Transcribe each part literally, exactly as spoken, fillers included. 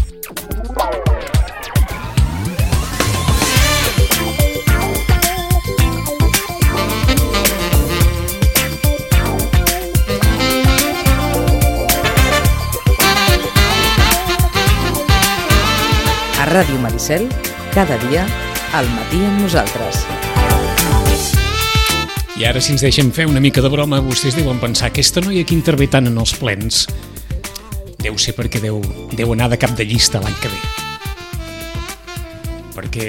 A Ràdio Maricel, cada dia, al matí amb nosaltres. I ara, si ens deixem fer una mica de broma, vostès deuen pensar que aquesta noia que intervé tant en els plens deu ser perquè deu, deu anar de cap de llista l'any que ve. Perquè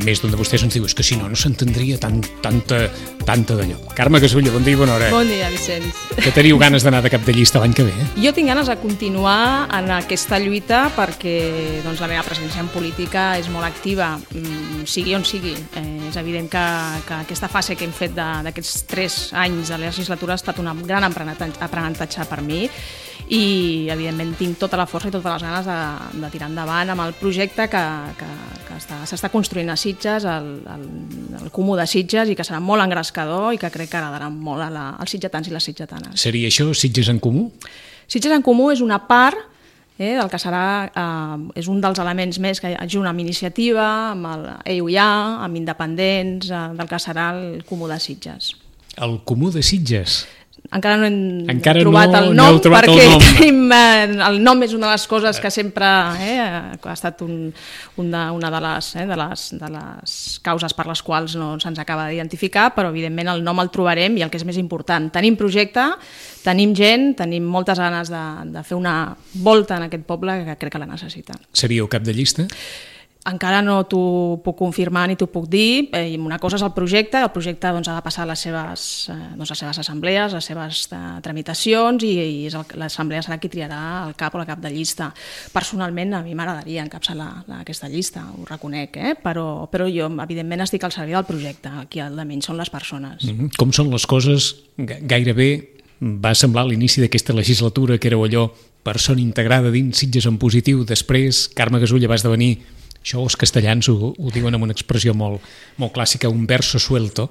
més d'un de vostès ens diu és que si no, no s'entendria tant, tanta, tanta d'allò. Carme Gasulla, bon dia i bona hora. Bon dia, Vicenç. Que teniu ganes d'anar de cap de llista l'any que ve, eh? Jo tinc ganes de continuar en aquesta lluita perquè doncs, la meva presència en política és molt activa, sigui on sigui. Eh, és evident que, que aquesta fase que hem fet d'aquests tres anys de la legislatura ha estat un gran aprenentatge per mi i, evidentment, tinc tota la força i totes les ganes de, de tirar endavant amb el projecte que, que, que s'està construint a Sitges, el, el, el Comú de Sitges, i que serà molt engrescador i que crec que agradarà molt a la, als sitgetans i les sitgetanes. Seria això, Sitges en Comú? Sitges en Comú és una part eh, del que serà, eh, és un dels elements més que junt amb iniciativa, amb el E U I A, amb independents, eh, del que serà el Comú de Sitges. El Comú de Sitges? Encara no hem Encara trobat no, el nom, no trobat perquè el nom. Tenim, eh, el nom és una de les coses que sempre eh, ha estat un, una, una de, les, eh, de, les, de les causes per les quals no se'ns acaba d'identificar, però evidentment el nom el trobarem i el que és més important. Tenim projecte, tenim gent, tenim moltes ganes de, de fer una volta en aquest poble que crec que la necessita. Seríeu cap de llista? Encara no t'ho puc confirmar ni t'ho puc dir. Eh, una cosa és el projecte, el projecte doncs, ha de passar les seves, eh, doncs, les seves assemblees, les seves eh, tramitacions i, i l'assemblea serà qui triarà el cap o la cap de llista. Personalment a mi m'agradaria encapçalar la, aquesta llista, ho reconec, eh? però, però jo evidentment estic al servei del projecte, aquí al de menys són les persones. Mm-hmm. Com són les coses? Gairebé va semblar a l'inici d'aquesta legislatura que éreu allò persona integrada dins Sitges en positiu, després Carme Gasulla va esdevenir, això els castellans ho, ho diuen amb una expressió molt, molt clàssica, un verso suelto,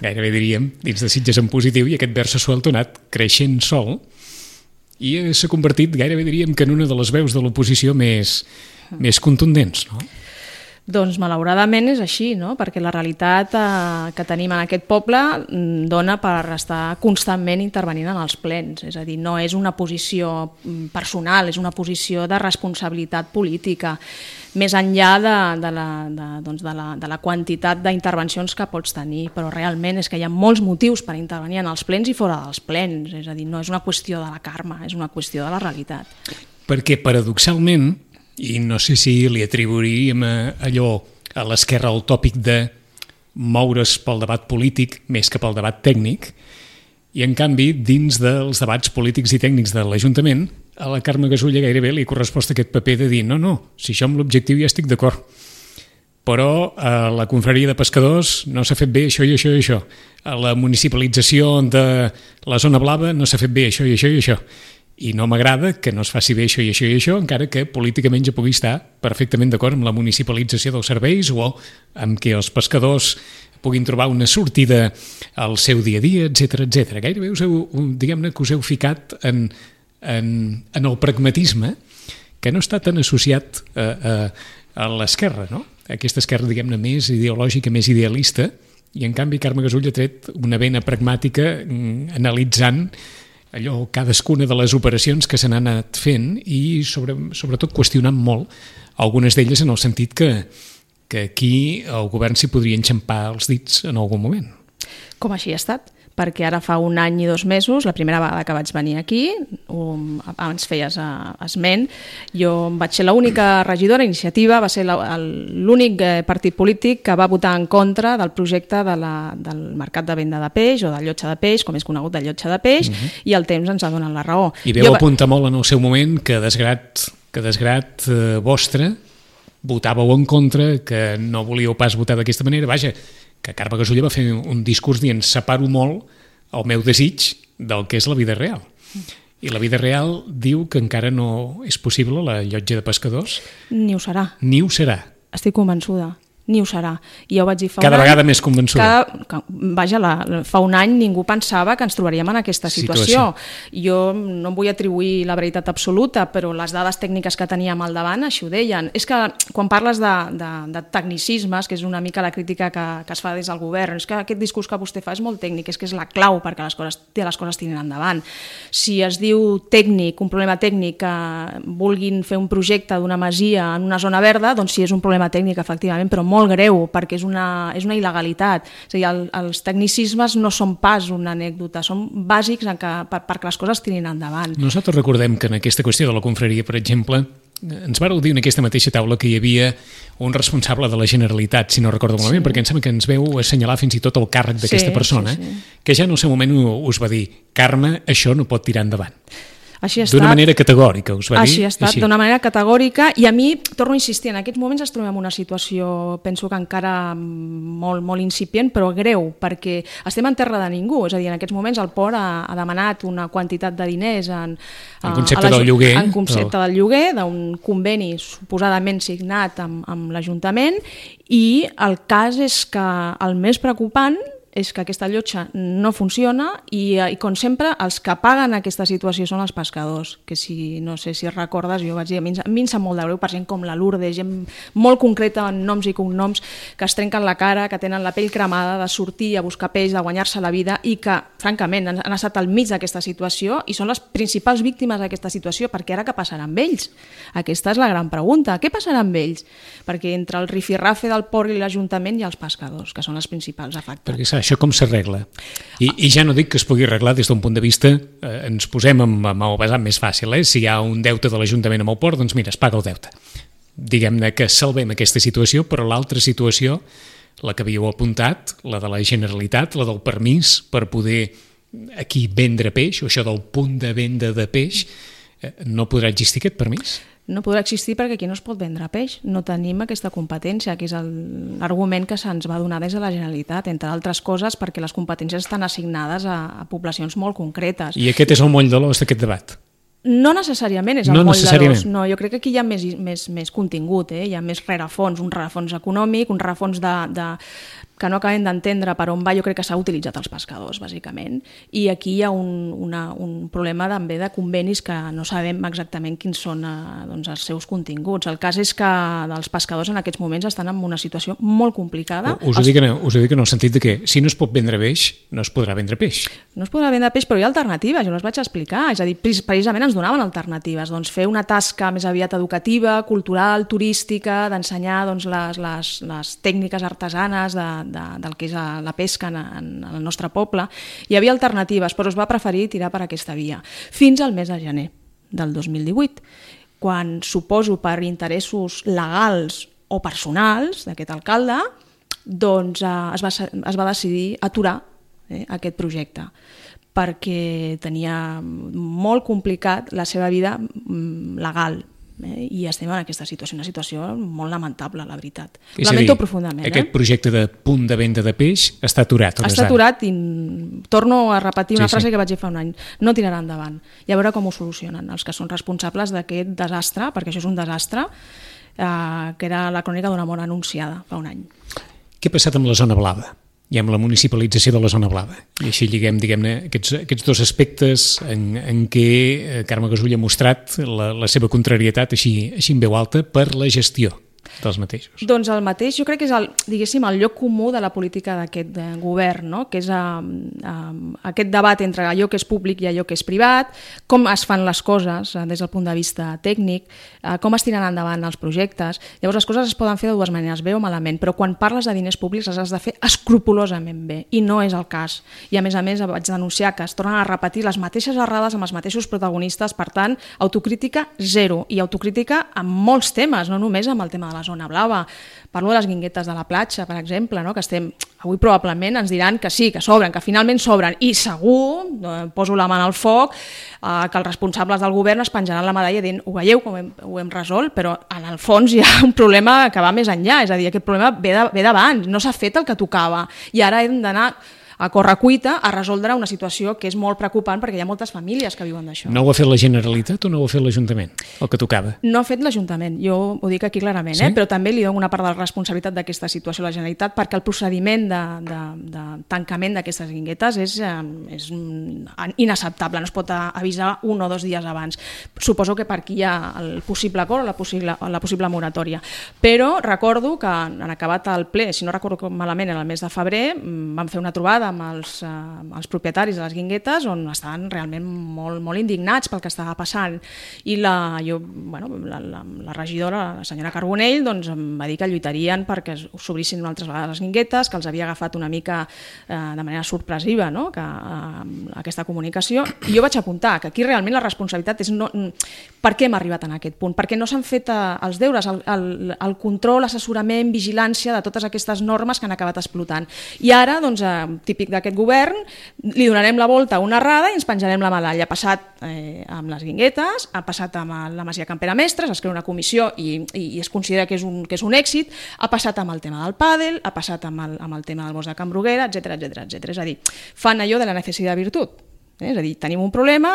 gairebé diríem, dins de Sitges en positiu, i aquest verso suelto ha anat creixent sol i s'ha convertit, gairebé diríem, que en una de les veus de l'oposició més, més contundents, no? Doncs malauradament és així, no? Perquè la realitat eh, que tenim en aquest poble dona per estar constantment intervenint en els plens. És a dir, no és una posició personal, és una posició de responsabilitat política, més enllà de, de, la, de, doncs de, la, de la quantitat d'intervencions que pots tenir, però realment és que hi ha molts motius per intervenir en els plens i fora dels plens. És a dir, no és una qüestió de la karma, és una qüestió de la realitat. Perquè, paradoxalment, i no sé si li atribuiríem a allò a l'esquerra el tòpic de moure's pel debat polític més que pel debat tècnic, i en canvi dins dels debats polítics i tècnics de l'Ajuntament a la Carme Gasulla gairebé li corresposta aquest paper de dir no, no, si això amb l'objectiu ja estic d'acord, però a la confraria de pescadors no s'ha fet bé això i això i això, a la municipalització de la zona blava no s'ha fet bé això i això i això, i no m'agrada que no es faci bé això i això i això, encara que políticament ja pugui estar perfectament d'acord amb la municipalització dels serveis o amb que els pescadors puguin trobar una sortida al seu dia a dia, etcètera, etcètera. Gairebé us heu, diguem-ne que us heu ficat en, en, en el pragmatisme que no està tan associat a, a, a l'esquerra, no? Aquesta esquerra, diguem-ne, més ideològica, més idealista, i en canvi Carme Gasulla ha tret una vena pragmàtica analitzant allò, cadascuna de les operacions que se n'han anat fent i sobre, sobretot qüestionant molt algunes d'elles en el sentit que, que aquí el govern s'hi podria enxampar els dits en algun moment. Com així ha estat, perquè ara fa un any i dos mesos, la primera vegada que vaig venir aquí, um, abans feies uh, esment, jo vaig ser l'única regidora, Iniciativa va ser l'únic partit polític que va votar en contra del projecte de la, del mercat de venda de peix o del llotja de peix, com és conegut del llotja de peix, uh-huh. i el temps ens ha donat la raó. I veu jo... apuntar molt en el seu moment que desgrat, que desgrat eh, vostre votàveu en contra, que no volíeu pas votar d'aquesta manera, vaja, que Carme Gasulla va fer un discurs dient separo molt el meu desig del que és la vida real. I la vida real diu que encara no és possible la llotja de pescadors. Ni ho serà. Ni ho serà. Estic convençuda. ni ho serà. I jo vaig dir fa cada un vegada any, més convençuda. Cada, vaja, la, fa un any ningú pensava que ens trobaríem en aquesta situació. situació. Jo no em vull atribuir la veritat absoluta, però les dades tècniques que teníem al davant així ho deien. És que quan parles de, de, de tecnicismes, que és una mica la crítica que, que es fa des del govern, és que aquest discurs que vostè fa és molt tècnic, és que és la clau perquè les coses, les coses tirin endavant. Si es diu tècnic, un problema tècnic, que vulguin fer un projecte d'una masia en una zona verda, doncs sí, és un problema tècnic, efectivament, però molt greu, perquè és una, és una il·legalitat. És a dir, el, els tecnicismes no són pas una anècdota, són bàsics en que, per, perquè les coses tirin endavant. Nosaltres recordem que en aquesta qüestió de la confraria, per exemple, ens vareu dir en aquesta mateixa taula que hi havia un responsable de la Generalitat, si no recordo malament, sí. perquè em sembla que ens veu assenyalar fins i tot el càrrec d'aquesta sí, persona, sí, sí. que ja en el seu moment us va dir: Carme, això no pot tirar endavant. D'una manera categòrica, us va dir? Així ha estat, d'una manera categòrica, i a mi, torno a insistir, en aquests moments ens trobem en una situació, penso que encara molt, molt incipient, però greu, perquè estem en terra de ningú, és a dir, en aquests moments el port ha, ha demanat una quantitat de diners en, en concepte del lloguer, en concepte del lloguer, d'un conveni suposadament signat amb, amb l'Ajuntament, i el cas és que el més preocupant és que aquesta llotja no funciona i, i com sempre, els que paguen aquesta situació són els pescadors, que si no sé si recordes, jo vaig dir, a mi, a mi em sap molt de greu per gent com la Lourdes, gent molt concreta en noms i cognoms, que es trenquen la cara, que tenen la pell cremada de sortir a buscar peix, de guanyar-se la vida i que, francament, han, han estat al mig d'aquesta situació i són les principals víctimes d'aquesta situació, perquè ara què passarà amb ells? Aquesta és la gran pregunta. Què passarà amb ells? Perquè entre el rifirrafe del port i l'Ajuntament hi ha els pescadors, que són els principals afectats. Perquè saps, això com s'arregla? I, I ja no dic que es pugui arreglar des d'un punt de vista, eh, ens posem amb, amb el vessant més fàcil, eh? Si hi ha un deute de l'Ajuntament amb el port, doncs mira, es paga el deute. Diguem-ne que salvem aquesta situació, però l'altra situació, la que havíeu apuntat, la de la Generalitat, la del permís per poder aquí vendre peix, o això del punt de venda de peix, eh, no podrà existir aquest permís? No podrà existir perquè aquí no es pot vendre peix. No tenim aquesta competència, que és l'argument que se'ns va donar des de la Generalitat, entre altres coses perquè les competències estan assignades a, a poblacions molt concretes. I aquest és el moll de l'os d'aquest debat? No necessàriament és el no moll de l'os. No, jo crec que aquí hi ha més, més, més contingut, eh? Hi ha més rerefons, un rerefons econòmic, un rerefons de, de, que no acabem d'entendre per on va. Jo crec que s'ha utilitzat els pescadors, bàsicament, i aquí hi ha un, una, un problema també de convenis que no sabem exactament quins són eh, doncs, els seus continguts. El cas és que els pescadors en aquests moments estan en una situació molt complicada. Us ho, els... dic, en, us ho dic en el sentit de que si no es pot vendre peix, no es podrà vendre peix. No es podrà vendre peix, però hi ha alternatives, jo les vaig explicar. És a dir, precisament ens donaven alternatives, doncs fer una tasca més aviat educativa, cultural, turística, d'ensenyar doncs, les, les, les tècniques artesanes de, de, del que és la pesca en, en, en el nostre poble. Hi havia alternatives, però es va preferir tirar per aquesta via. Fins al mes de gener del dos mil divuit, quan suposo per interessos legals o personals d'aquest alcalde, doncs eh, es, va, es va decidir aturar eh, aquest projecte, perquè tenia molt complicat la seva vida legal, eh? I estem en aquesta situació, una situació molt lamentable, la veritat. És Lamento dir, profundament. Aquest eh? projecte de punt de venda de peix està aturat. Està aturat i torno a repetir una sí, frase sí. que vaig dir fa un any. No tirarà endavant. I a veure com ho solucionen els que són responsables d'aquest desastre, perquè això és un desastre, eh, que era la crònica d'una mort anunciada fa un any. Què ha passat amb la zona blava? I amb la municipalització de la zona blava. I així lliguem, diguem-ne, aquests, aquests dos aspectes en, en què Carme Gasull ha mostrat la, la seva contrarietat així, així en veu alta per la gestió dels mateixos. Doncs el mateix, jo crec que és el, diguéssim, el lloc comú de la política d'aquest govern, no? Que és uh, uh, aquest debat entre allò que és públic i allò que és privat, com es fan les coses uh, des del punt de vista tècnic, uh, com es tiren endavant els projectes. Llavors les coses es poden fer de dues maneres, bé o malament, però quan parles de diners públics les has de fer escrupolosament bé, i no és el cas. I a més a més vaig denunciar que es tornen a repetir les mateixes errades amb els mateixos protagonistes, per tant, autocrítica zero, i autocrítica en molts temes, no només amb el tema de la zona blava. Parlo de les guinguetes de la platja, per exemple, no? Que estem, avui probablement ens diran que sí, que sobren, que finalment sobren, i segur, eh, poso la mà al foc, eh, que els responsables del govern es penjaran la medalla dient, ho veieu com hem, ho hem resolt, però en el fons hi ha un problema que va més enllà, és a dir, aquest problema ve d'abans, no s'ha fet el que tocava, i ara hem d'anar a correcuita a resoldre una situació que és molt preocupant perquè hi ha moltes famílies que viuen d'això. No ho ha fet la Generalitat o no ho ha fet l'Ajuntament, el que tocava? No ha fet l'Ajuntament, jo ho dic aquí clarament, sí? eh? Però també li dono una part de la responsabilitat d'aquesta situació a la Generalitat perquè el procediment de, de, de tancament d'aquestes guinguetes és, és inacceptable, no es pot avisar un o dos dies abans. Suposo que per aquí hi ha el possible acord o la possible, la possible moratòria. Però recordo que en acabat el ple, si no recordo malament, en el mes de febrer, vam fer una trobada amb els, eh, els propietaris de les guinguetes on estaven realment molt, molt indignats pel que estava passant. I la, jo, bueno, la, la, la regidora, la senyora Carbonell, doncs, em va dir que lluitarien perquè s'obrissin altres vegades les guinguetes, que els havia agafat una mica eh, de manera sorpresiva, no? que, eh, aquesta comunicació. I jo vaig apuntar que aquí realment la responsabilitat és no, per què hem arribat en aquest punt, perquè no s'han fet eh, els deures, el, el, el control, assessorament, vigilància de totes aquestes normes que han acabat explotant. I ara, doncs, eh, típic d'aquest govern, li donarem la volta a una errada i ens penjarem la medalla. Ha passat eh, amb les guinguetes, ha passat amb la Masia Campera Mestres, es crea una comissió i, i, i es considera que és, un, que és un èxit, ha passat amb el tema del pàdel, ha passat amb el, amb el tema del bosc de Can Bruguera, etcètera, etcètera, etcètera. És a dir, fan allò de la necessitat de virtut. Eh? És a dir, tenim un problema,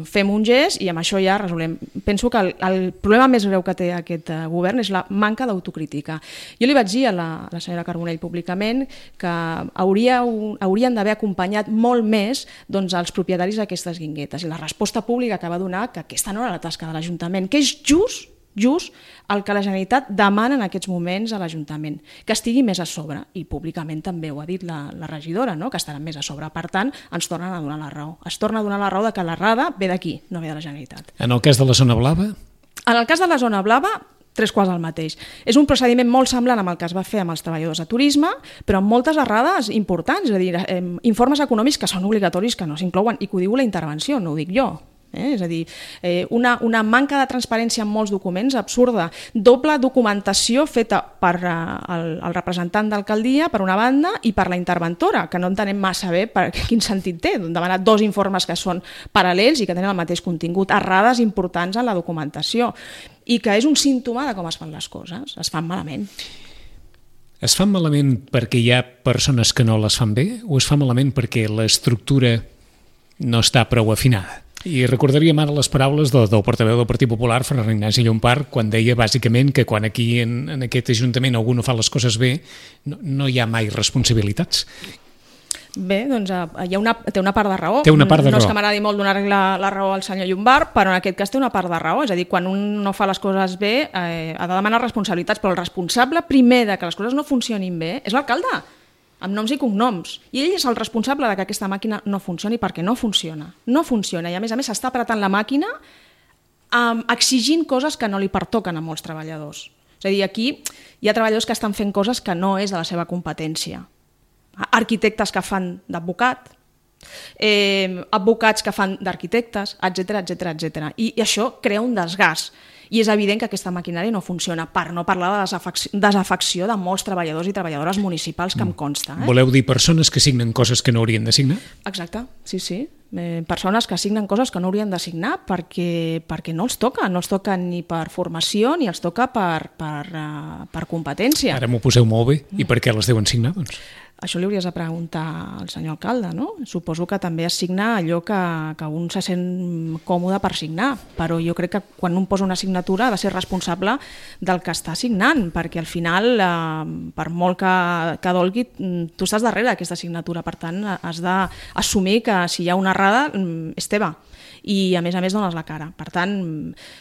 fem un gest i amb això ja resolem. Penso que el, el problema més greu que té aquest uh, govern és la manca d'autocrítica. Jo li vaig dir a la, a la senyora Carbonell públicament que hauria, haurien d'haver acompanyat molt més doncs, els propietaris d'aquestes guinguetes i la resposta pública que va donar que aquesta no era la tasca de l'Ajuntament, que és just just el que la Generalitat demana en aquests moments a l'Ajuntament, que estigui més a sobre, i públicament també ho ha dit la, la regidora, no? Que estaran més a sobre. Per tant, ens tornen a donar la raó. Es torna a donar la raó de que l'errada ve d'aquí, no ve de la Generalitat. En el cas de la zona blava? En el cas de la zona blava, tres quarts del mateix. És un procediment molt semblant amb el que es va fer amb els treballadors de turisme, però amb moltes errades importants, és a dir, eh, informes econòmics que són obligatoris, que no s'inclouen, i que ho diu la intervenció, no ho dic jo. Eh? És a dir, eh, una, una manca de transparència en molts documents absurda, doble documentació feta per eh, el, el representant d'alcaldia per una banda i per la interventora, que no entenem massa bé per quin sentit té, demanar dos informes que són paral·lels i que tenen el mateix contingut, errades importants en la documentació, i que és un símptoma de com es fan les coses, es fan malament. Es fan malament perquè hi ha persones que no les fan bé o es fa malament perquè l'estructura no està prou afinada? I recordaríem ara les paraules del, del portaveu del Partit Popular, Ferran Ignasi Llompart, quan deia bàsicament que quan aquí en, en aquest Ajuntament algú no fa les coses bé, no, no hi ha mai responsabilitats. Bé, doncs hi ha una, té una part de raó. Té una part de no raó. és que m'agradi molt donar-li la, la raó al senyor Llompart, però en aquest cas té una part de raó. És a dir, quan un no fa les coses bé, eh, ha de demanar responsabilitats, però el responsable primer de que les coses no funcionin bé és l'alcalde, amb noms i cognoms. I ell és el responsable de que aquesta màquina no funcioni perquè no funciona. No funciona i a més a més s'està apretant la màquina um, exigint coses que no li pertoquen a molts treballadors. És a dir, aquí hi ha treballadors que estan fent coses que no és de la seva competència. Arquitectes que fan d'advocat, eh, advocats que fan d'arquitectes, etcètera, etcètera, etcètera. I, I això crea un desgast. I és evident que aquesta maquinària no funciona, per no parlar de la desafecció de molts treballadors i treballadores municipals que em consta. Eh? Voleu dir persones que signen coses que no haurien de signar? Exacte, sí, sí. Eh, persones que signen coses que no haurien de signar perquè, perquè no els toca, no els toca ni per formació ni els toca per, per, uh, per competència. Ara m'ho poseu molt bé. I per què les deuen signar, doncs? Això li hauries de preguntar al senyor alcalde, no? Suposo que també es signa allò que, que un se sent còmode per signar, però jo crec que quan un posa una signatura ha de ser responsable del que està signant, perquè al final, eh, per molt que, que dolgui, tu estàs darrere d'aquesta signatura, per tant, has d'assumir que si hi ha una errada és teva. I a més a més dones la cara. Per tant,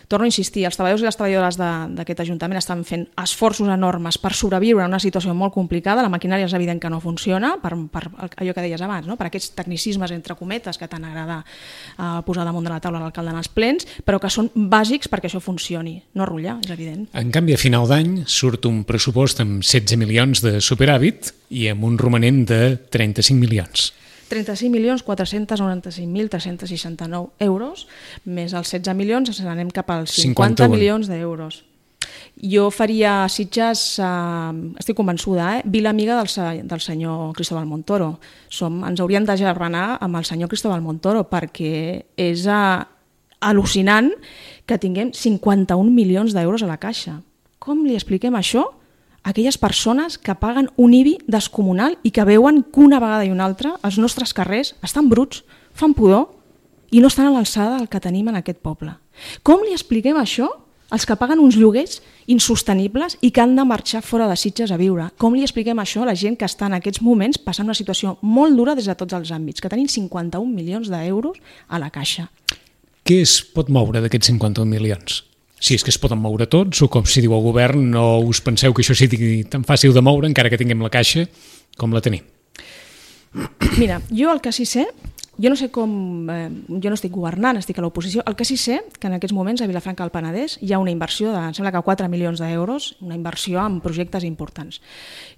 torno a insistir, els treballadors i les treballadores d'aquest Ajuntament estan fent esforços enormes per sobreviure en una situació molt complicada, la maquinària és evident que no funciona, per, per allò que deies abans, no? Per aquests tecnicismes entre cometes que tant agrada uh, posar damunt de la taula l'alcalde en els plens, però que són bàsics perquè això funcioni, no rotllar, és evident. En canvi, a final d'any surt un pressupost amb setze milions de superàvit i amb un romanent de trenta-cinc milions. trenta-cinc milions quatre-cents noranta-cinc mil tres-cents seixanta-nou euros, més els setze milions ens n'anem cap als cinquanta milions d'euros. Jo faria a Sitges, eh, estic convençuda, eh, vila amiga del, del senyor Cristóbal Montoro. Som, ens hauríem de germanar amb el senyor Cristóbal Montoro perquè és eh, al·lucinant que tinguem cinquanta-un milions d'euros a la caixa. Com li expliquem això aquelles persones que paguen un I B I descomunal i que veuen que una vegada i una altra els nostres carrers estan bruts, fan pudor i no estan a l'alçada del que tenim en aquest poble. Com li expliquem això als que paguen uns lloguers insostenibles i que han de marxar fora de Sitges a viure? Com li expliquem això a la gent que està en aquests moments passant una situació molt dura des de tots els àmbits, que tenim cinquanta-un milions d'euros a la caixa? Què es pot moure d'aquests cinquanta-un milions? Si és que es poden moure tots, o com si diu el govern, no us penseu que això sigui tan fàcil de moure, encara que tinguem la caixa com la tenim. Mira, jo el que sí sé, jo no sé com, eh, jo no estic governant, estic a l'oposició, el que sí sé que en aquests moments a Vilafranca del Penedès hi ha una inversió de, em sembla que quatre milions d'euros, una inversió en projectes importants.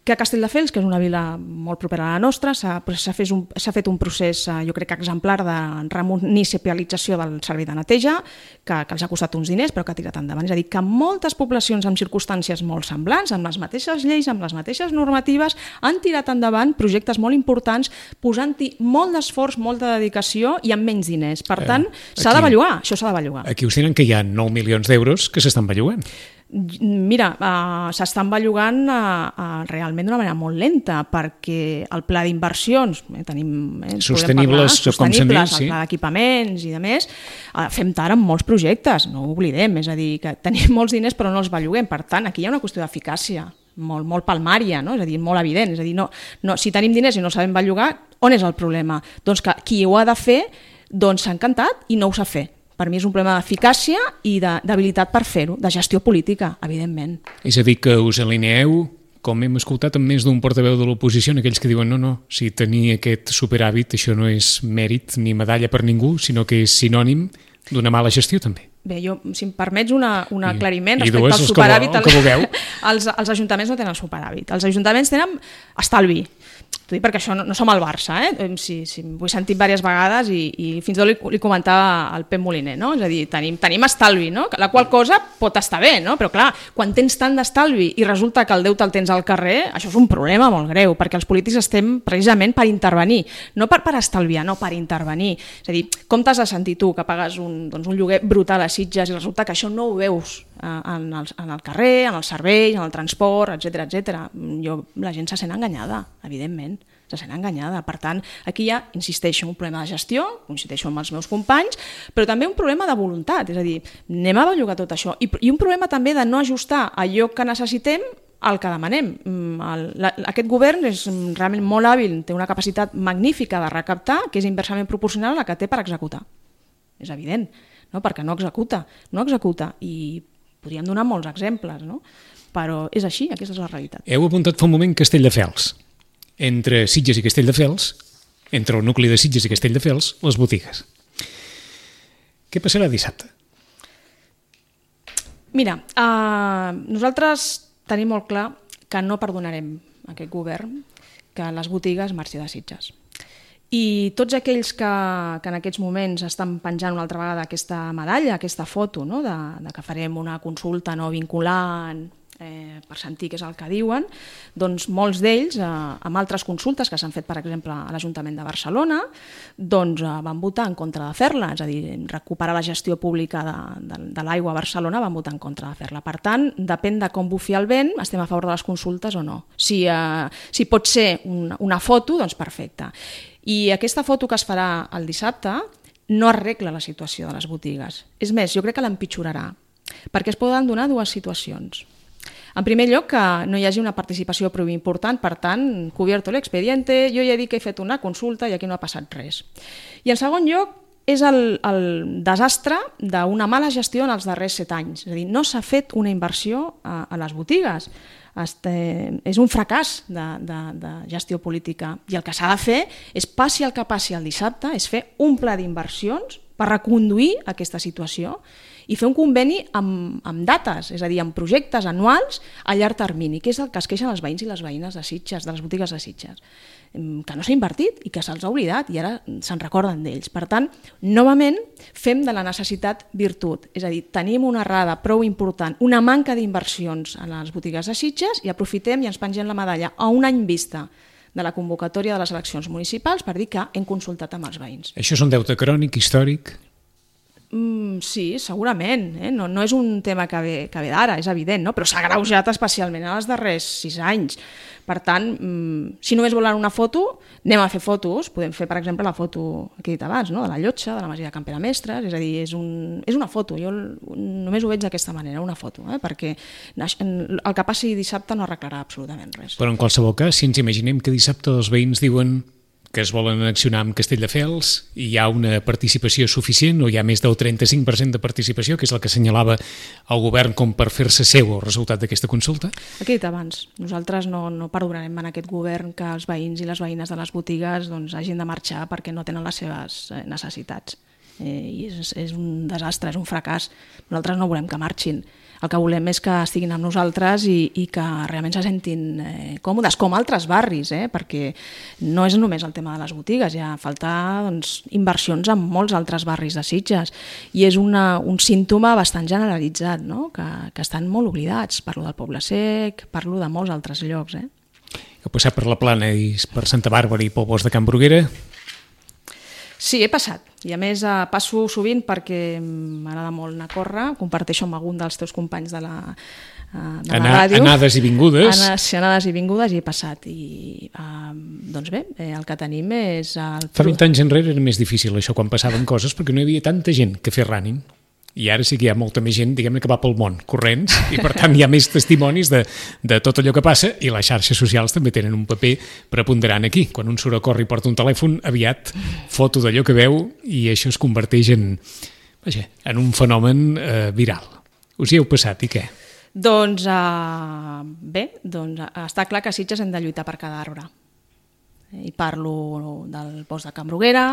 Que a Castelldefels, que és una vila molt propera a la nostra, s'ha fet, un, fet un procés, jo crec que exemplar, de remunicipalització del servei de neteja, que, que els ha costat uns diners, però que ha tirat endavant. És a dir, que moltes poblacions amb circumstàncies molt semblants, amb les mateixes lleis, amb les mateixes normatives, han tirat endavant projectes molt importants, posant-hi molt d'esforç, molta dedicació i amb menys diners. Per tant, eh, s'ha de bellugar, això s'ha de bellugar. Aquí us tenen que hi ha nou milions d'euros que s'estan bellugant. Mira, uh, s'estan bellugant uh, uh, realment d'una manera molt lenta, perquè el pla d'inversions, eh, tenim... Eh, sostenibles, parlar, com s'han dit, sí. El pla d'equipaments i de més, uh, fem tard amb molts projectes, no ho oblidem, és a dir, que tenim molts diners però no els belluguem, per tant, aquí hi ha una qüestió d'eficàcia, molt, molt palmària, no? És a dir, molt evident, és a dir, no, no, si tenim diners i no sabem bellugar, on és el problema? Doncs que qui ho ha de fer doncs s'ha encantat i no ho sap fer. Per mi és un problema d'eficàcia i d'habilitat per fer-ho, de gestió política, evidentment. És a dir, que us alineeu, com hem escoltat amb més d'un portaveu de l'oposició, en aquells que diuen no, no, si tenir aquest superàvit això no és mèrit ni medalla per ningú, sinó que és sinònim d'una mala gestió també. Bé, jo, si em permets una, un aclariment I, respecte i al superàvit, el que vulgueu. els, els ajuntaments no tenen superàvit, els ajuntaments tenen estalvi. T'ho dic perquè això no, no som al Barça, eh? si, si ho he sentit diverses vegades i, i fins i tot li, li comentava al Pep Moliner, no? És a dir, tenim, tenim estalvi, no? La qual cosa pot estar bé, no? Però clar, quan tens tant d'estalvi i resulta que el deute el tens al carrer, això és un problema molt greu, perquè els polítics estem precisament per intervenir, no per, per estalviar, no per intervenir. És a dir, com t'has de sentir tu que pagues un, doncs un lloguer brutal a Sitges i resulta que això no ho veus en el, en el carrer, en els serveis, en el transport, etcètera, etcètera. Jo, la gent se sent enganyada, evidentment, se sent enganyada. Per tant, aquí hi ha, insisteixo, un problema de gestió, coincideixo amb els meus companys, però també un problema de voluntat, és a dir, anem a bellugar tot això, i, i un problema també de no ajustar allò que necessitem al que demanem. El, la, aquest govern és realment molt hàbil, té una capacitat magnífica de recaptar, que és inversament proporcional a la que té per executar. És evident, no? Perquè no executa, no executa, i podríem donar molts exemples, no? Però és així, aquesta és la realitat. Heu apuntat fa un moment Castelldefels. Entre Sitges i Castelldefels, entre el nucli de Sitges i Castelldefels, les botigues. Què passarà dissabte? Mira, uh, nosaltres tenim molt clar que no perdonarem a aquest govern que les botigues marxi de Sitges. I tots aquells que, que en aquests moments estan penjant una altra vegada aquesta medalla, aquesta foto, no? de, de que farem una consulta no vinculant eh, per sentir què és el que diuen, doncs molts d'ells, eh, amb altres consultes que s'han fet, per exemple, a l'Ajuntament de Barcelona, doncs eh, van votar en contra de fer-la, és a dir, recuperar la gestió pública de, de, de l'aigua a Barcelona, van votar en contra de fer-la. Per tant, depèn de com bufi el vent, estem a favor de les consultes o no. Si, eh, si pot ser una, una foto, doncs perfecte. I aquesta foto que es farà el dissabte no arregla la situació de les botigues. És més, jo crec que l'empitjorarà, perquè es poden donar dues situacions. En primer lloc, que no hi hagi una participació prou important, per tant, cubierto l'expediente, jo ja he dit que he fet una consulta i aquí no ha passat res. I en segon lloc, és el, el desastre d'una mala gestió en els darrers set anys. És a dir, no s'ha fet una inversió a, a les botigues. Este, és un fracàs de, de, de gestió política i el que s'ha de fer és, passi el que passi el dissabte, és fer un pla d'inversions per reconduir aquesta situació i fer un conveni amb, amb dates, és a dir, amb projectes anuals a llarg termini, que és el que es queixen els veïns i les veïnes de Sitges, de les botigues de Sitges, que no s'ha invertit i que se'ls ha oblidat i ara se'n recorden d'ells. Per tant, novament, fem de la necessitat virtut, és a dir, tenim una errada prou important, una manca d'inversions a les botigues de Sitges i aprofitem i ens pengem la medalla a un any vista de la convocatòria de les eleccions municipals per dir que hem consultat amb els veïns. Això és un deute crònic, històric? Mm, sí, segurament. Eh? No, no és un tema que ve, que ve d'ara, és evident, no? Però s'ha agreujat especialment en els darrers sis anys. Per tant, mm, si només volen una foto, anem a fer fotos. Podem fer, per exemple, la foto que he dit abans, no? De la Llotja, de la Masia de Can Pere Mestres, és a dir, és, un, és una foto. Jo només ho veig d'aquesta manera, una foto, eh? Perquè el que passi dissabte no arreglarà absolutament res. Però en qualsevol cas, si ens imaginem que dissabte els veïns diuen que es volen annexionar amb Castelldefels i hi ha una participació suficient o hi ha més del trenta-cinc per cent de participació, que és el que assenyalava el govern com per fer-se seu el resultat d'aquesta consulta? El que he dit abans, nosaltres no, no perdonarem en aquest govern que els veïns i les veïnes de les botigues doncs, hagin de marxar perquè no tenen les seves necessitats. Eh, I és, és un desastre, és un fracàs. Nosaltres no volem que marxin. El que volem és que estiguin amb nosaltres i, i que realment se sentin eh, còmodes, com altres barris, eh? Perquè no és només el tema de les botigues, hi ha falta doncs, inversions en molts altres barris de Sitges i és una, un símptoma bastant generalitzat, no? que, que estan molt oblidats. Parlo del Poble Sec, parlo de molts altres llocs. Eh? Heu passat per la Plana i per Santa Bàrbara i pel bosc de Can Bruguera? Sí, he passat. I a més eh, passo sovint perquè m'agrada molt anar a córrer, comparteixo amb algun dels teus companys de la, eh, de la Ana, ràdio. Anades i vingudes. Anes, anades i vingudes i he passat. I, eh, doncs bé, eh, el que tenim és... El... Fa vint anys enrere era més difícil això quan passaven coses perquè no hi havia tanta gent que fer running. I ara sí que hi ha molta més gent, diguem-ne, que va pel món, corrents, i per tant hi ha més testimonis de, de tot allò que passa, i les xarxes socials també tenen un paper preponderant aquí. Quan un surt a córrer i porta un telèfon, aviat foto d'allò que veu, i això es converteix en, vaja, en un fenomen eh, viral. Us hi heu passat, i què? Doncs uh, bé, doncs, uh, està clar que a Sitges hem de lluitar per cada arbre. I parlo del bosc de Can Bruguera,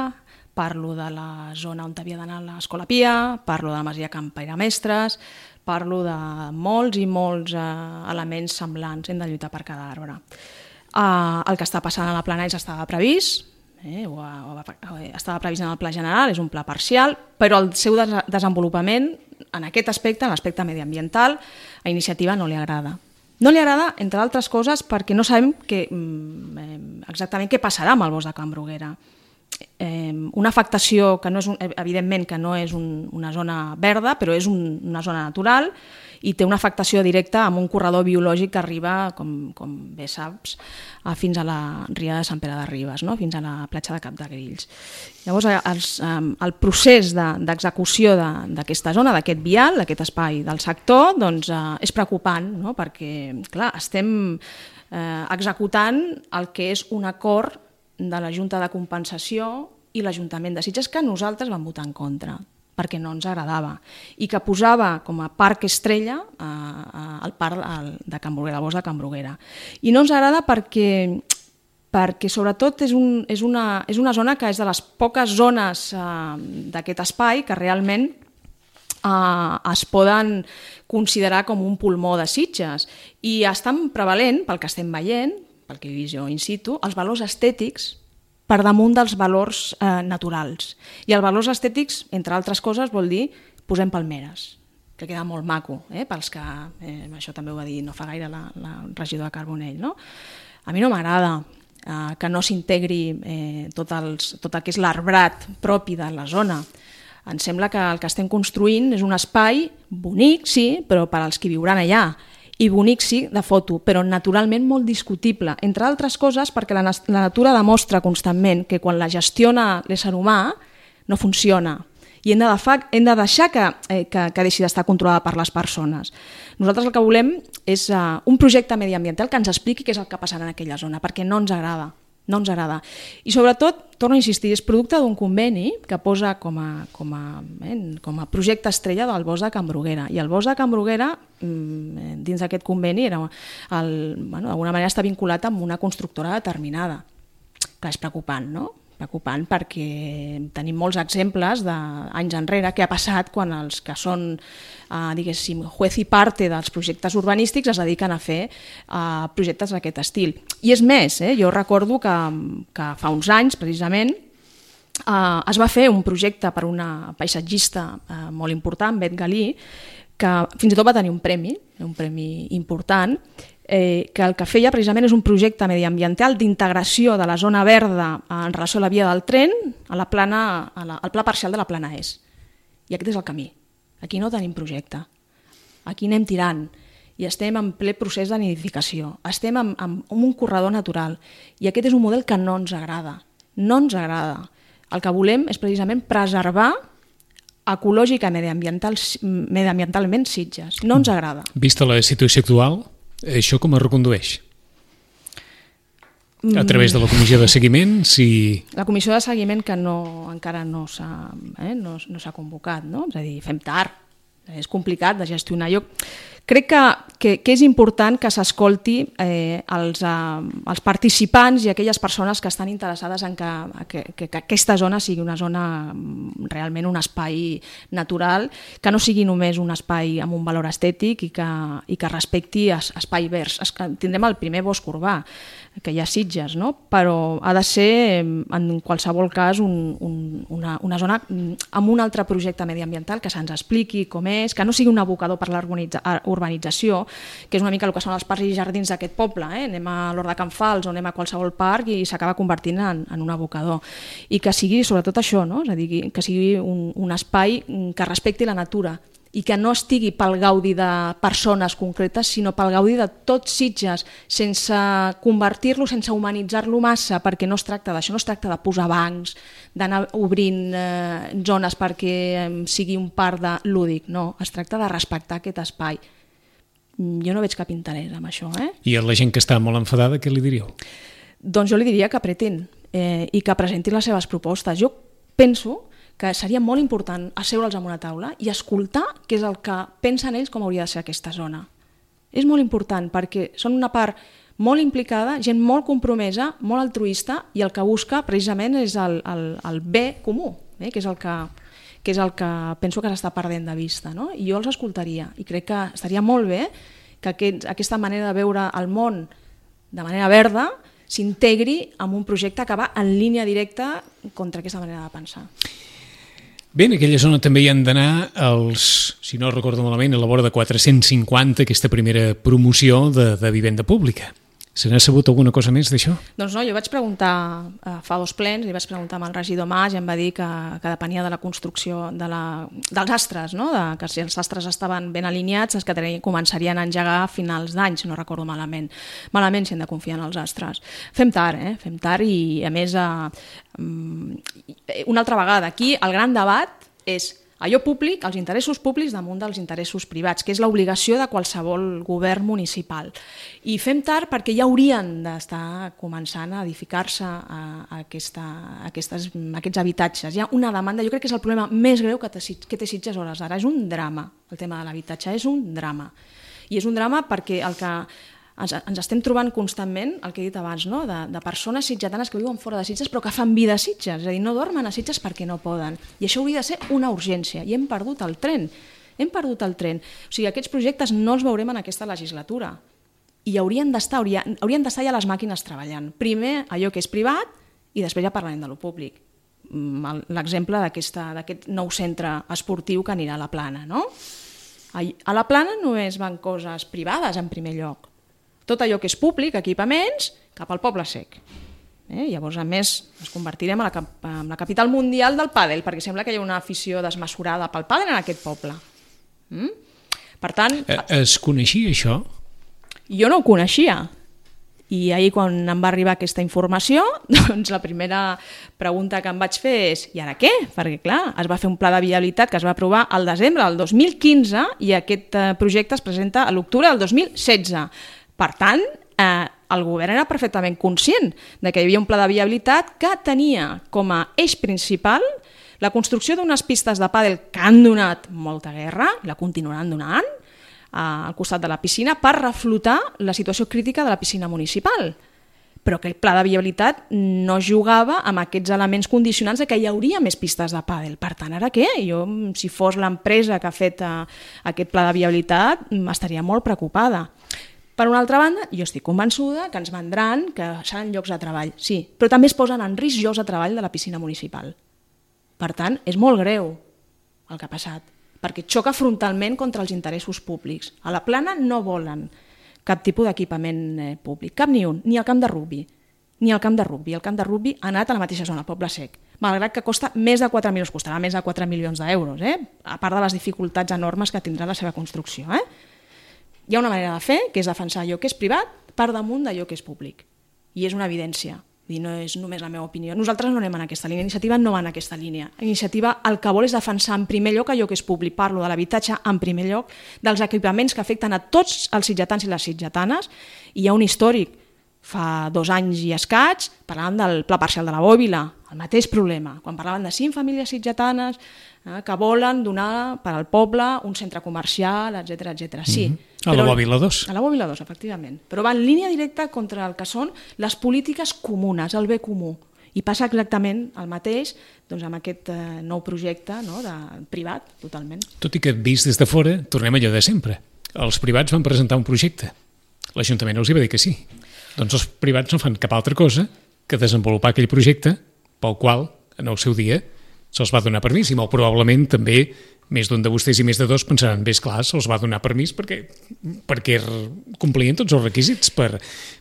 parlo de la zona on havia d'anar l'Escola Pia, parlo de la Masia Can Pere Mestres, parlo de molts i molts eh, elements semblants, hem de lluitar per cada arbre. Eh, el que està passant a la Plana és estava previst, eh, o, o, o, estava previst en el pla general, és un pla parcial, però el seu des desenvolupament en aquest aspecte, en l'aspecte mediambiental, a Iniciativa no li agrada. No li agrada, entre altres coses, perquè no sabem que, exactament què passarà amb el bosc de Can Bruguera. Eh, una afectació que no és un, evidentment que no és un, una zona verda, però és un, una zona natural i té una afectació directa amb un corredor biològic que arriba, com, com bé saps, a, fins a la ria de Sant Pere de Ribes, no? Fins a la platja de Cap de Grills. Llavors, els, el procés d'execució de, d'aquesta zona, d'aquest vial, d'aquest espai del sector, doncs, eh, és preocupant, no? Perquè clar, estem eh, executant el que és un acord de la Junta de Compensació i l'Ajuntament de Sitges que nosaltres vam votar en contra perquè no ens agradava i que posava com a parc estrella eh, el parc de Can Bruguera, el bosc de Can Bruguera. I no ens agrada perquè, perquè sobretot és, un, és, una, és una zona que és de les poques zones eh, d'aquest espai que realment eh, es poden considerar com un pulmó de Sitges i estan prevalent, pel que estem veient, pel que he vist jo in situ, els valors estètics per damunt dels valors eh, naturals. I els valors estètics, entre altres coses, vol dir posem palmeres, que queda molt maco, eh, pels que, eh, això també ho va dir no fa gaire la, la regidora Carbonell, no? A mi no m'agrada eh, que no s'integri eh, tot, els, tot el que és l'arbrat propi de la zona. Em sembla que el que estem construint és un espai bonic, sí, però per als que viuran allà, i bonic sí, de foto, però naturalment molt discutible, entre altres coses perquè la, la natura demostra constantment que quan la gestiona l'ésser humà no funciona i hem de, hem de deixar que, eh, que, que deixi d'estar controlada per les persones. Nosaltres el que volem és uh, un projecte mediambiental que ens expliqui què és el que passarà en aquella zona, perquè no ens agrada. No ens agrada. I sobretot, torno a insistir, és producte d'un conveni que posa com a, com a, eh, com a projecte estrella del bosc de Can Bruguera. I el bosc de Can Bruguera, dins d'aquest conveni, era el, bueno, d'alguna manera està vinculat amb una constructora determinada. Clar, és preocupant, no? Preocupant perquè tenim molts exemples d'anys enrere que ha passat quan els que són, eh, diguéssim, juez i parte dels projectes urbanístics es dediquen a fer eh, projectes d'aquest estil. I és més, eh, jo recordo que, que fa uns anys, precisament, eh, es va fer un projecte per una paisatgista eh, molt important, Bet Galí, que fins i tot va tenir un premi, un premi important, Eh, que el que feia precisament és un projecte mediambiental d'integració de la zona verda en relació a la via del tren a la plana, a la, al pla parcial de la Plana Est. I aquest és el camí. Aquí no tenim projecte. Aquí anem tirant i estem en ple procés de nidificació. Estem en, en un corredor natural i aquest és un model que no ens agrada. No ens agrada. El que volem és precisament preservar ecològica i mediambiental, mediambientalment Sitges. No ens agrada. Vista la situació actual, això com es recondueix? A través de la comissió de seguiment, si... La comissió de seguiment que no, encara no s'ha eh, no, no s'ha convocat, no? És a dir, fem tard, és complicat de gestionar. Jo crec que, que, que és important que s'escolti eh, els, eh, els participants i aquelles persones que estan interessades en que, que, que, que aquesta zona sigui una zona realment un espai natural, que no sigui només un espai amb un valor estètic i que, i que respecti es, espai verds. Es, tindrem el primer bosc urbà que hi ha Sitges, no? Però ha de ser en qualsevol cas un, un, una, una zona amb un altre projecte mediambiental que se'ns expliqui com és, que no sigui un abocador per l'urbanització, que és una mica el que són els parcs i jardins d'aquest poble, eh? Anem a l'Hort de Can Fals o anem a qualsevol parc i s'acaba convertint en, en un abocador. I que sigui sobretot això, no? És a dir, que sigui un, un espai que respecti la natura i que no estigui pel gaudi de persones concretes, sinó pel gaudi de tots Sitges, sense convertir-lo, sense humanitzar-lo massa, perquè no es tracta d'això, no es tracta de posar bancs, d'anar obrint eh, zones perquè eh, sigui un parc de lúdic, no, es tracta de respectar aquest espai. Jo no veig cap interès en això. Eh? I a la gent que està molt enfadada, què li diríeu? Doncs jo li diria que apretin eh, i que presentin les seves propostes. Jo penso que seria molt important asseure'ls en una taula i escoltar què és el que pensen ells com hauria de ser aquesta zona. És molt important perquè són una part molt implicada, gent molt compromesa, molt altruista i el que busca precisament és el, el, el bé comú, eh? que, és el que, que és el que penso que s'està perdent de vista. No? I jo els escoltaria i crec que estaria molt bé que aquest, aquesta manera de veure el món de manera verda s'integri en un projecte que va en línia directa contra aquesta manera de pensar. Bé, en aquella zona també hi han d'anar els, si no recordo malament, a la vora de quatre-cents cinquanta, aquesta primera promoció de, de vivenda pública. Se n'ha sabut alguna cosa més d'això? Doncs no, jo vaig preguntar eh, fa dos plens, li vaig preguntar amb el regidor Mas i em va dir que, que depenia de la construcció de la, dels astres, no? de, que si els astres estaven ben alineats, els que tenien, començarien a engegar a finals d'any, si no recordo malament. Malament si hem de confiar en els astres. Fem tard, eh? Fem tard i a més, eh, una altra vegada, aquí el gran debat és allò públic, els interessos públics damunt dels interessos privats, que és l'obligació de qualsevol govern municipal. I fem tard perquè ja haurien d'estar començant a edificar-se a, a aquesta, a aquestes, a aquests habitatges. Hi ha una demanda, jo crec que és el problema més greu que té, que té Sitges a hores d'ara. És un drama, el tema de l'habitatge, és un drama. I és un drama perquè el que ens, ens estem trobant constantment, el que he dit abans, no? de, de persones sitgetanes que viuen fora de Sitges però que fan vida a Sitges, és a dir, no dormen a Sitges perquè no poden. I això hauria de ser una urgència i hem perdut el tren. Hem perdut el tren. O sigui, aquests projectes no els veurem en aquesta legislatura i haurien d'estar haurien, haurien d'estar ja les màquines treballant. Primer allò que és privat i després ja parlarem de lo públic. L'exemple d'aquest nou centre esportiu que anirà a la Plana. No? A la Plana només van coses privades en primer lloc. Tot allò que és públic, equipaments, cap al Poble Sec. Eh? Llavors, a més, ens convertirem en la, en la capital mundial del pàdel, perquè sembla que hi ha una afició desmesurada pel pàdel en aquest poble. Mm? Per tant... Es coneixia això? Jo no ho coneixia. I ahir, quan em va arribar aquesta informació, doncs la primera pregunta que em vaig fer és i ara què? Perquè, clar, es va fer un pla de viabilitat que es va aprovar al desembre del dos mil quinze i aquest projecte es presenta a l'octubre del dos mil setze. Per tant, eh, el govern era perfectament conscient de que hi havia un pla de viabilitat que tenia com a eix principal la construcció d'unes pistes de pàdel que han donat molta guerra, la continuaran donant, eh, al costat de la piscina per reflotar la situació crítica de la piscina municipal. Però aquell pla de viabilitat no jugava amb aquests elements condicionants de que hi hauria més pistes de pàdel. Per tant, ara què? Jo, si fos l'empresa que ha fet eh, aquest pla de viabilitat, estaria molt preocupada. Per una altra banda, jo estic convençuda que ens vendran que seran llocs de treball, sí, però també es posen en risc llocs de treball de la piscina municipal. Per tant, és molt greu el que ha passat, perquè xoca frontalment contra els interessos públics. A la Plana no volen cap tipus d'equipament eh, públic, cap ni un, ni el camp de rugbi, ni el camp de rugbi. El camp de rugbi ha anat a la mateixa zona, al Poble Sec. malgrat que costa més de quatre milions, costarà més de quatre milions d'euros, eh? A part de les dificultats enormes que tindrà la seva construcció. Eh? Hi ha una manera de fer, que és defensar allò que és privat per damunt d'allò que és públic. I és una evidència. I no és només la meva opinió. Nosaltres no anem en aquesta línia, Iniciativa no va en aquesta línia. Iniciativa el que vol és defensar en primer lloc allò que és públic, parlo de l'habitatge en primer lloc, dels equipaments que afecten a tots els sitgetans i les sitgetanes, i hi ha un històric, fa dos anys i escaig, parlàvem del pla parcial de la Bòbila, el mateix problema, quan parlaven de cinc famílies sitgetanes eh, que volen donar per al poble un centre comercial, etcètera, etcètera. Sí, mm-hmm. A la Bòbila dos. A la Bòbila dos, efectivament. Però va en línia directa contra el que són les polítiques comunes, el bé comú. I passa exactament el mateix doncs, amb aquest eh, nou projecte no, de, privat, totalment. Tot i que vist des de fora, tornem allò de sempre. Els privats van presentar un projecte. L'Ajuntament els hi va dir que sí. Doncs els privats no fan cap altra cosa que desenvolupar aquell projecte pel qual, en el seu dia, se'ls va donar permís. I molt probablement també més d'un de vostès i més de dos pensaran, bé, esclar, se'ls va donar permís perquè, perquè complien tots els requisits per,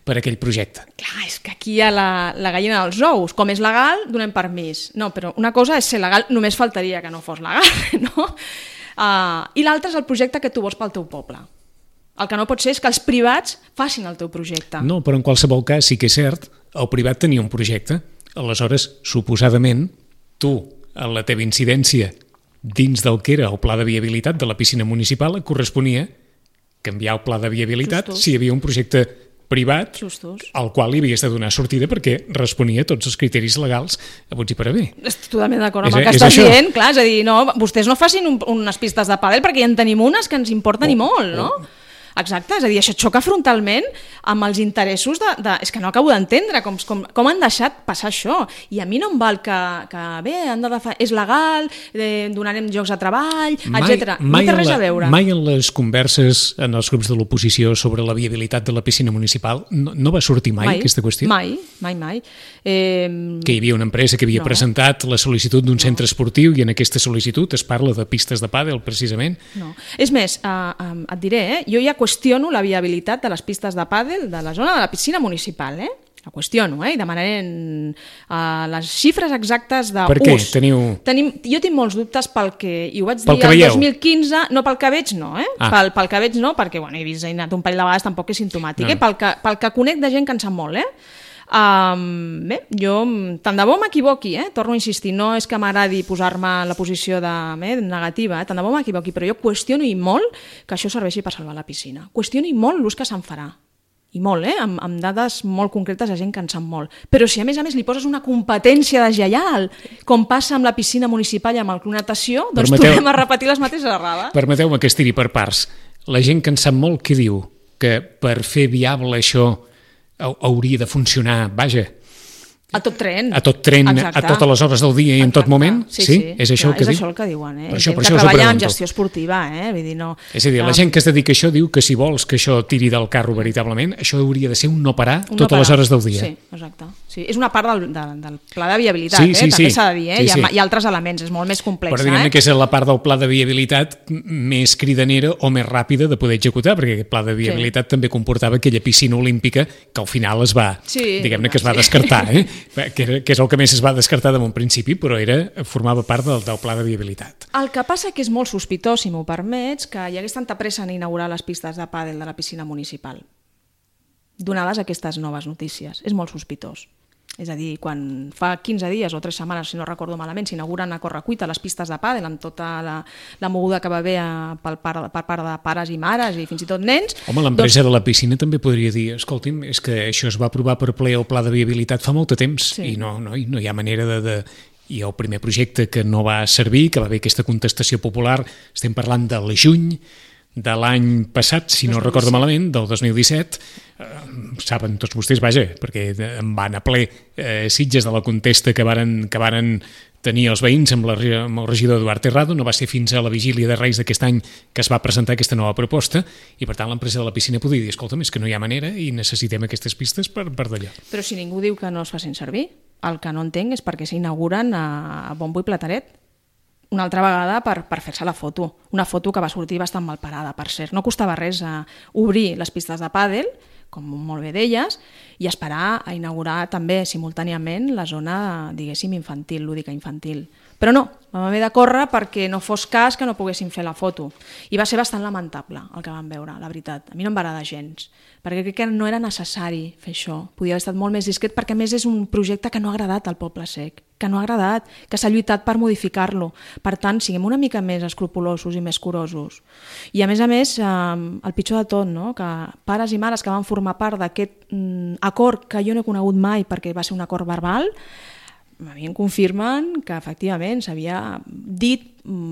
per aquell projecte. Clar, és que aquí hi ha la, la gallina dels ous. Com és legal, donem permís. No, però una cosa és ser legal, només faltaria que no fos legal, no? Uh, I l'altra és el projecte que tu vols pel teu poble. El que no pot ser és que els privats facin el teu projecte. No, però en qualsevol cas sí que és cert, el privat tenia un projecte. Aleshores, suposadament, tu, en la teva incidència, dins del que era el pla de viabilitat de la piscina municipal, et corresponia canviar el pla de viabilitat Justos. Si hi havia un projecte privat Justos. Al qual li havies de donar sortida perquè responia a tots els criteris legals haguts i per haver. Estic totalment d'acord amb el que estàs això. dient, clar, és a dir, no, vostès no facin un, unes pistes de pàdel perquè ja en tenim unes que ens importen oh, i molt, no? Oh. Exacte, és a dir, això xoca frontalment amb els interessos de... de és que no acabo d'entendre com, com, com han deixat passar això. I a mi no em val que, que bé, han de defa... és legal, eh, donarem llocs de treball, etcètera. No té res a veure. Mai en les converses en els grups de l'oposició sobre la viabilitat de la piscina municipal no, no va sortir mai, mai aquesta qüestió? Mai, mai, mai. Eh... Que hi havia una empresa que havia no. presentat la sol·licitud d'un no. centre esportiu i en aquesta sol·licitud es parla de pistes de pàdel, precisament. No. És més, eh, eh, et diré, eh, jo ja qüestiono la viabilitat de les pistes de pàdel de la zona de la piscina municipal, eh? La qüestiono, eh? I demanarem uh, les xifres exactes d'ús. Per què? Teniu... Tenim, jo tinc molts dubtes pel que... I ho vaig pel dir el dos mil quinze, no pel que veig no, eh? Ah. Pel, pel que veig no, perquè bueno, he vist, he anat un parell de vegades, tampoc és simptomàtic, no. eh? Pel que, pel que conec de gent que en sap molt, eh? Um, bé, jo tant de bo m'equivoqui, eh? Torno a insistir, no és que m'agradi posar-me en la posició de, eh, negativa, eh? Tant de bo m'equivoqui, però jo qüestiono i molt que això serveixi per salvar la piscina. Qüestiono i molt l'ús que se'n farà. I molt, eh? amb, amb dades molt concretes de gent que en sap molt. Però si a més a més li poses una competència deslleial, com passa amb la piscina municipal i amb el club natació, doncs Permeteu... tornem a repetir les mateixes errades. Permeteu-me que es tiri per parts. La gent que en sap molt, què diu? Que per fer viable això hauria de funcionar, vaja, a tot tren, a tot tren, Exacte. A totes les hores del dia i en tot moment? Sí, sí, sí. És això Clar, el que és diu? això el que diuen, eh? Per això, gent per que això treballa en gestió esportiva, eh? Vull dir, no... És a dir, la gent que es dedica a això diu que si vols que això tiri del carro veritablement, això hauria de ser un no parar un totes no parar. Les hores del dia. Sí, exacte. Sí, és una part del, del, del pla de viabilitat, sí, sí, eh? També sí. s'ha de dir, eh? Sí, sí. Hi, ha, hi ha altres elements, és molt més complex. Però diguem-ne eh? que és la part del pla de viabilitat més cridanera o més ràpida de poder executar, perquè aquest pla de viabilitat sí. també comportava aquella piscina olímpica que al final es va, sí, diguem-ne que es va sí. descartar, eh? que, era, que és el que més es va descartar de bon principi, però era, formava part del, del pla de viabilitat. El que passa que és molt sospitós, si m'ho permets, que hi hagués tanta pressa en inaugurar les pistes de pàdel de la piscina municipal, donades aquestes noves notícies. És molt sospitós. És a dir, quan fa quinze dies o tres setmanes, si no recordo malament, s'inauguren a correcuita les pistes de pàdel amb tota la, la moguda que va haver per part, per part de pares i mares i fins i tot nens... Home, l'empresa doncs... de la piscina també podria dir, escolti'm, és que això es va aprovar per ple el pla de viabilitat fa molt de temps sí. i no, no, no hi ha manera de... de... I el primer projecte que no va servir, que va haver aquesta contestació popular, estem parlant del juny de l'any passat, si no recordo malament, del dos mil disset, eh, saben tots vostès, vaja, perquè em van a ple eh, Sitges de la contesta que varen, que varen tenir els veïns amb, la, amb el regidor Eduard Terrado. No va ser fins a la vigília de Reis d'aquest any que es va presentar aquesta nova proposta i per tant l'empresa de la piscina podia dir, escolta'm, és que no hi ha manera i necessitem aquestes pistes per, per d'allò. Però si ningú diu que no es facin servir, el que no entenc és perquè s'inauguren a, a bombo i plateret. Una altra vegada per, per fer-se la foto. Una foto que va sortir bastant mal parada, per cert. No costava res a obrir les pistes de pàdel, com molt bé deies, i esperar a inaugurar també simultàniament la zona, diguéssim, infantil, lúdica infantil. Però no, vam haver de córrer perquè no fos cas que no poguéssim fer la foto. I va ser bastant lamentable el que vam veure, la veritat. A mi no em va agradar gens, perquè crec que no era necessari fer això. Podia haver estat molt més discret, perquè a més és un projecte que no ha agradat al Poble Sec, que no ha agradat, que s'ha lluitat per modificar-lo. Per tant, siguem una mica més escrupulosos i més curosos. I a més a més, eh, el pitjor de tot, no? Que pares i mares que van formar part d'aquest mm, acord que jo no he conegut mai perquè va ser un acord verbal, a mi em confirmen que efectivament s'havia dit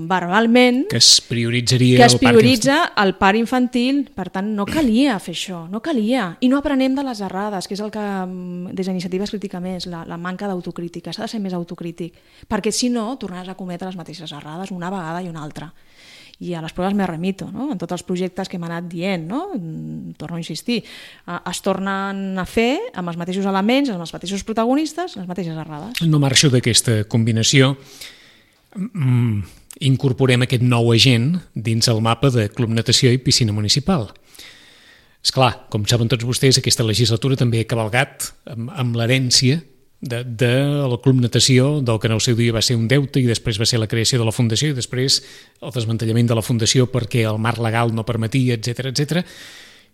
verbalment que es prioritzaria que es el parc prioritza el parc infantil. Per tant, no calia fer això, no calia. I no aprenem de les errades, que és el que des d'Iniciativa es critica més, la, la manca d'autocrítica. S'ha de ser més autocrític, perquè si no tornaràs a cometre les mateixes errades una vegada i una altra. I a les proves me remito, no? En tots els projectes que hem anat dient, no? Torno a insistir, es tornen a fer amb els mateixos elements, amb els mateixos protagonistes, les mateixes errades. No marxo d'aquesta combinació. Mm, incorporem aquest nou agent dins el mapa de Club Natació i Piscina Municipal. Esclar, com saben tots vostès, aquesta legislatura també ha cavalgat amb, amb l'herència de, de la Club Natació, del que en el seu dia va ser un deute i després va ser la creació de la Fundació i després el desmantellament de la Fundació perquè el marc legal no permetia, etcètera, etcètera.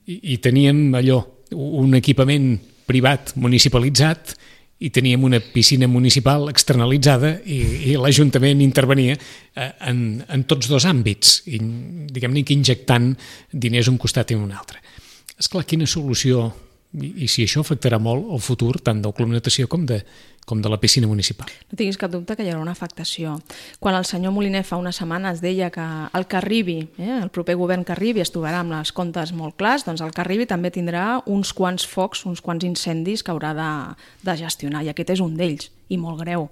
I, i teníem allò, un equipament privat municipalitzat i teníem una piscina municipal externalitzada i, i l'Ajuntament intervenia en, en tots dos àmbits, i, diguem-ne que injectant diners un costat i un altre. Esclar, quina solució... I, i si això afectarà molt el futur tant del Club Natació com de, com de la piscina municipal. No tinguis cap dubte que hi haurà una afectació. Quan el senyor Moliner fa unes setmanes deia que el que arribi, eh, el proper govern que arribi es trobarà amb els comptes molt clars, doncs el que arribi també tindrà uns quants focs, uns quants incendis que haurà de, de gestionar, i aquest és un d'ells, i molt greu.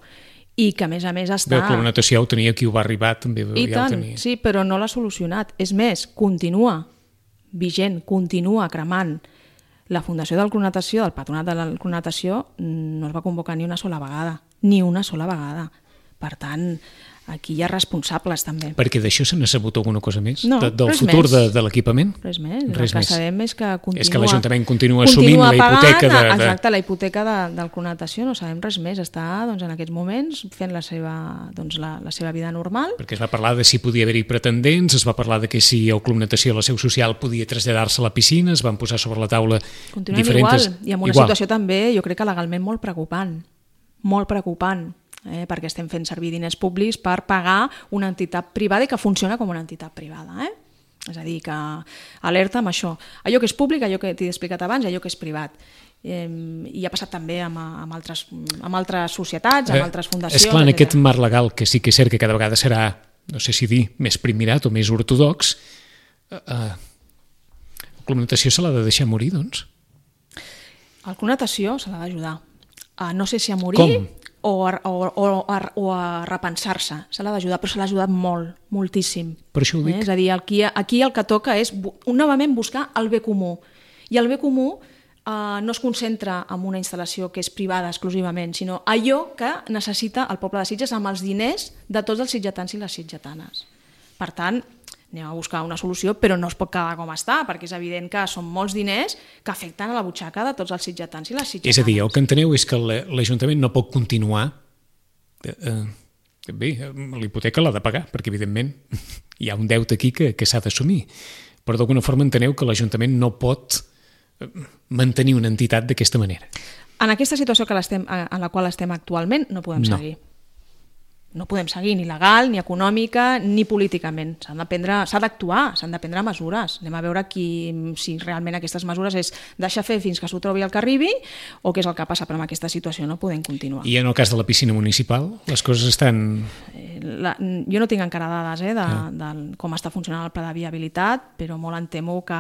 I que a més a més està... Bé, el Club Natació ho tenia, qui ho va arribar també I ja tant, ho tenia. sí, però no l'ha solucionat. És més, continua vigent, continua cremant. La Fundació del Club Natació, del Patronat del Club Natació, no es va convocar ni una sola vegada, ni una sola vegada. Per tant, aquí hi ha responsables també. Perquè d'això se n'ha sabut alguna cosa més? No, de, del res futur més. de, de l'equipament? Res més. Res el que més. sabem és que continua... És que l'Ajuntament continua assumint continua la hipoteca pagant, de, de... Exacte, la hipoteca de, del Club Natació, no sabem res més. Està doncs, en aquests moments fent la seva, doncs, la, la seva vida normal. Perquè es va parlar de si podia haver-hi pretendents, es va parlar de que si el Club Natació, la seu social, podia traslladar-se a la piscina, es van posar sobre la taula Continuem diferents... igual, i amb una igual. situació també, jo crec que legalment molt preocupant. Molt preocupant. Eh, perquè estem fent servir diners públics per pagar una entitat privada i que funciona com una entitat privada. Eh? És a dir, que alerta amb això. Allò que és públic, allò que t'he explicat abans, allò que és privat. Eh, I ha passat també amb, amb, altres, amb altres societats, amb altres fundacions. És clar, en aquest etcètera. marc legal, que sí que és cert que cada vegada serà, no sé si dir, més primirat o més ortodox, eh, el Club Natació se l'ha de deixar morir, doncs? El Club Natació se l'ha d'ajudar. Uh, no sé si a morir... Com? O a, o, o, a, o a repensar-se, se l'ha d'ajudar, però se l'ha ajudat molt, moltíssim. Per això ho dic. Eh? És a dir, aquí, aquí el que toca és novament buscar el bé comú. I el bé comú eh, no es concentra en una instal·lació que és privada exclusivament, sinó allò que necessita el poble de Sitges amb els diners de tots els sitgetans i les sitgetanes. Per tant, anem a buscar una solució, però no es pot quedar com està, perquè és evident que són molts diners que afecten a la butxaca de tots els sitgetans i les sitgetanes. És a dir, el que enteneu és que l'Ajuntament no pot continuar... Eh, bé, l'hipoteca l'ha de pagar, perquè evidentment hi ha un deute aquí que, que s'ha d'assumir. Però d'alguna forma enteneu que l'Ajuntament no pot mantenir una entitat d'aquesta manera. En aquesta situació que l'estem, en la qual estem actualment no podem No. seguir. No podem seguir ni legal, ni econòmica, ni políticament. S'han de prendre, s'ha d'actuar, s'han de prendre mesures. Anem a veure qui, si realment aquestes mesures és deixar fer fins que s'ho trobi el que arribi o què és el que passa, però amb aquesta situació no podem continuar. I en el cas de la piscina municipal, les coses estan... La, jo no tinc encara dades eh, de, ah. de com està funcionant el pla de viabilitat, però molt em temo que,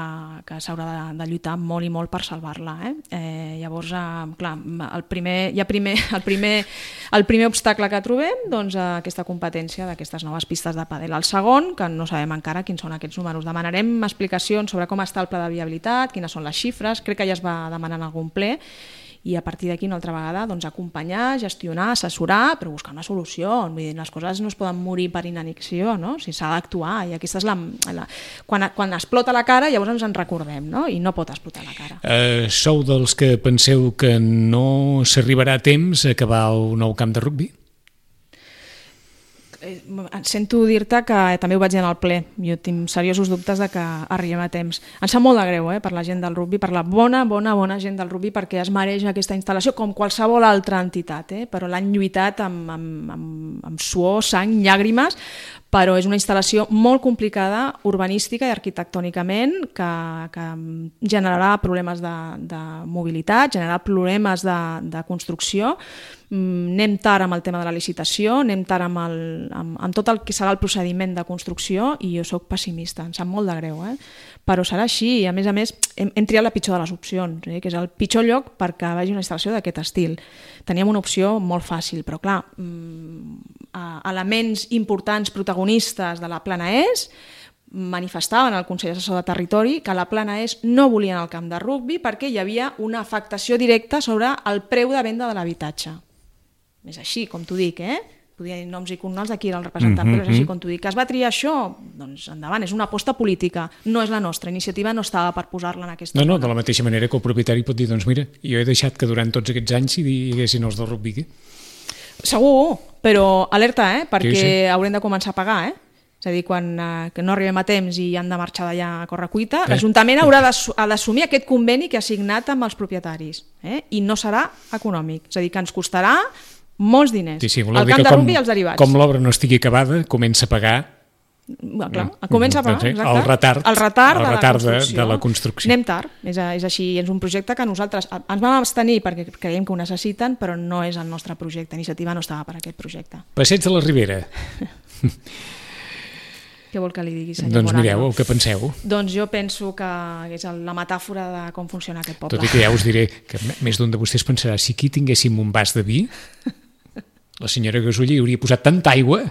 que s'haurà de, de lluitar molt i molt per salvar-la. Eh? Eh, llavors, eh, clar, el primer, ja primer, el, primer, el primer obstacle que trobem, doncs, aquesta competència d'aquestes noves pistes de pàdel. El segon, que no sabem encara quins són aquests números. Demanarem explicacions sobre com està el pla de viabilitat, quines són les xifres, crec que ja es va demanar en algun ple, i a partir d'aquí una altra vegada doncs, acompanyar, gestionar, assessorar, però buscar una solució. Vull dir, les coses no es poden morir per inanició, no? O sigui, s'ha d'actuar i aquesta és la, la... Quan, quan explota la cara llavors ens en recordem, no? I no pot explotar la cara. Uh, sou dels que penseu que no s'arribarà a temps a acabar el nou camp de rugbi? Sento dir-te que també ho vaig dir en el ple, jo tinc seriosos dubtes de que arribem a temps. Em sap molt de greu eh, per la gent del rugbi, per la bona, bona, bona gent del rugbi, perquè es mereix aquesta instal·lació com qualsevol altra entitat, eh? Però l'han lluitat amb, amb, amb, amb suor, sang, llàgrimes, però és una instal·lació molt complicada urbanística i arquitectònicament que, que generarà problemes de, de mobilitat, generarà problemes de, de construcció. Anem tard amb el tema de la licitació, anem tard amb, el, amb, amb tot el que serà el procediment de construcció i jo sóc pessimista, em sap molt de greu, eh? Però serà així i a més a més hem, hem triat la pitjor de les opcions, eh? Que és el pitjor lloc perquè vagi una instal·lació d'aquest estil. Teníem una opció molt fàcil, però clar, elements importants protagonistes de la Plana ES manifestaven al Consell Assessor de Territori que la Plana ES no volien el camp de rugbi perquè hi havia una afectació directa sobre el preu de venda de l'habitatge. És així, com t'ho dic, eh? Podia dir noms i cognoms d'aquí era el representant, mm-hmm. però és així com t'ho dic. Que es va triar això? Doncs endavant, és una aposta política, no és la nostra. Iniciativa no estava per posar-la en aquesta... No, no, de la mateixa manera que el propietari pot dir, doncs mira, jo he deixat que durant tots aquests anys hi haguessin els del rugbi aquí. Segur, però alerta, eh? Perquè sí, sí. haurem de començar a pagar, eh? És a dir, quan eh, que no arribem a temps i han de marxar d'allà a correcuita, eh? l'Ajuntament haurà d'assumir aquest conveni que ha signat amb els propietaris, eh? I no serà econòmic, és a dir, que ens costarà molts diners. Sí, sí, el camp de rugbi i els derivats. Com l'obra no estigui acabada, comença a pagar... Clar, comença a pagar, doncs, el retard, el retard, el de, retard la de, de la construcció. Anem tard, és, és així, és un projecte que nosaltres ens vam abstenir perquè creiem que ho necessiten, però no és el nostre projecte, Iniciativa no estava per aquest projecte. Passeig de la Ribera. Què vol que li digui, senyor Doncs Morano? mireu, què penseu? Doncs jo penso que és la metàfora de com funciona aquest poble. Tot i que ja us diré que més d'un de vostès pensarà si aquí tinguéssim un vas de vi, la senyora Gasull hi hauria posat tanta aigua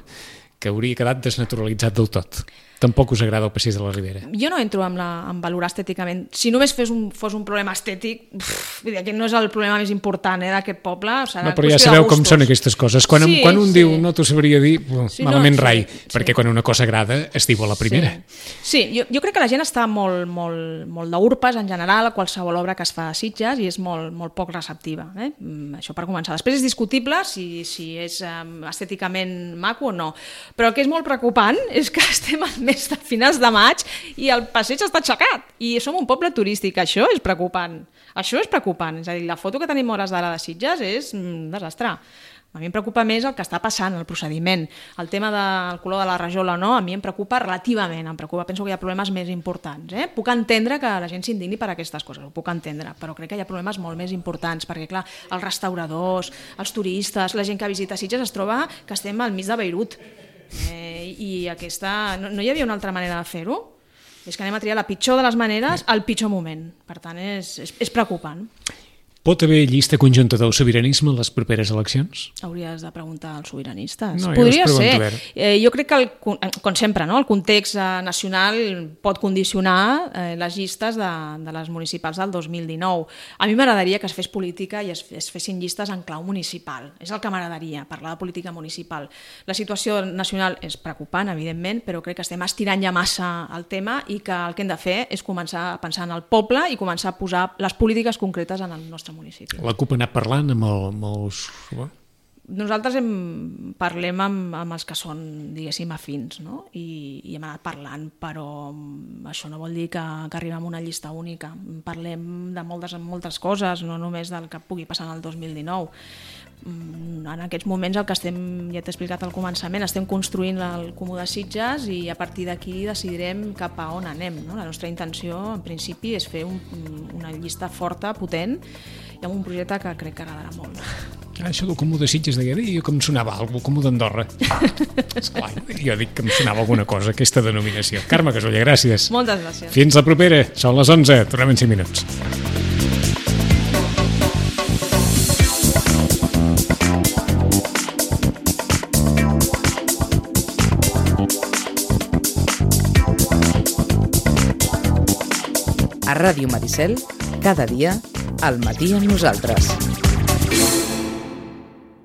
que hauria quedat desnaturalitzat del tot. Tampoc us agrada el passeig de la Ribera? Jo no entro en, la, en valorar estèticament. Si només fes un, fos un problema estètic, pff, aquest no és el problema més important eh, d'aquest poble. Serà no, però ja sabeu com són aquestes coses. Quan, sí, quan un sí. diu no t'ho sabria dir, sí, malament no, rai, sí, perquè sí. quan una cosa agrada es diu a la primera. Sí, sí jo, jo crec que la gent està molt, molt, molt d'urpes en general a qualsevol obra que es fa a Sitges i és molt, molt poc receptiva. Eh? Això per començar. Després és discutible si, si és um, estèticament maco o no, però el que és molt preocupant és que estem al mes de finals de maig i el passeig està aixecat i som un poble turístic, això és preocupant això és preocupant, és a dir, la foto que tenim hores d'ara de Sitges és un desastre. A mi em preocupa més el que està passant, el procediment, el tema del color de la rajola o no, a mi em preocupa relativament, em preocupa, penso que hi ha problemes més importants, eh? Puc entendre que la gent s'indigni per aquestes coses, ho puc entendre, però crec que hi ha problemes molt més importants, perquè clar, els restauradors, els turistes, la gent que visita Sitges es troba que estem al mig de Beirut. Eh, i aquesta... No, no hi havia una altra manera de fer-ho? És que anem a triar la pitjor de les maneres al pitjor moment. Per tant, és, és, és preocupant. Pot haver llista conjunta del sobiranisme a les properes eleccions? Hauries de preguntar als sobiranistes. No, podria ser. Eh, jo crec que, el, com sempre, no? el context eh, nacional pot condicionar eh, les llistes de, de les municipals del dos mil dinou. A mi m'agradaria que es fes política i es, es fessin llistes en clau municipal. És el que m'agradaria, parlar de política municipal. La situació nacional és preocupant, evidentment, però crec que estem estirant ja massa el tema i que el que hem de fer és començar a pensar en el poble i començar a posar les polítiques concretes en el nostre municipi. La CUP ha anat parlant amb, el, amb els... Nosaltres hem, parlem amb, amb els que són, diguéssim, afins, no? I, i hem anat parlant, però això no vol dir que, que arribem a una llista única. Parlem de moltes, moltes coses, no només del que pugui passar en el dos mil dinou. En aquests moments el que estem, ja t'he explicat al començament, estem construint el Comú de Sitges i a partir d'aquí decidirem cap a on anem, no? La nostra intenció, en principi, és fer un, una llista forta, potent, i amb un projecte que crec que agradarà molt. Ah, això del Comú de Sitges deia, jo que em sonava alguna cosa, Comú d'Andorra. Esclar, jo dic que em sonava alguna cosa, aquesta denominació. Carme Gasull, gràcies. Moltes gràcies. Fins la propera, són les onze, tornem en cinc minuts. A Ràdio Maricel, cada dia, Al matí amb nosaltres.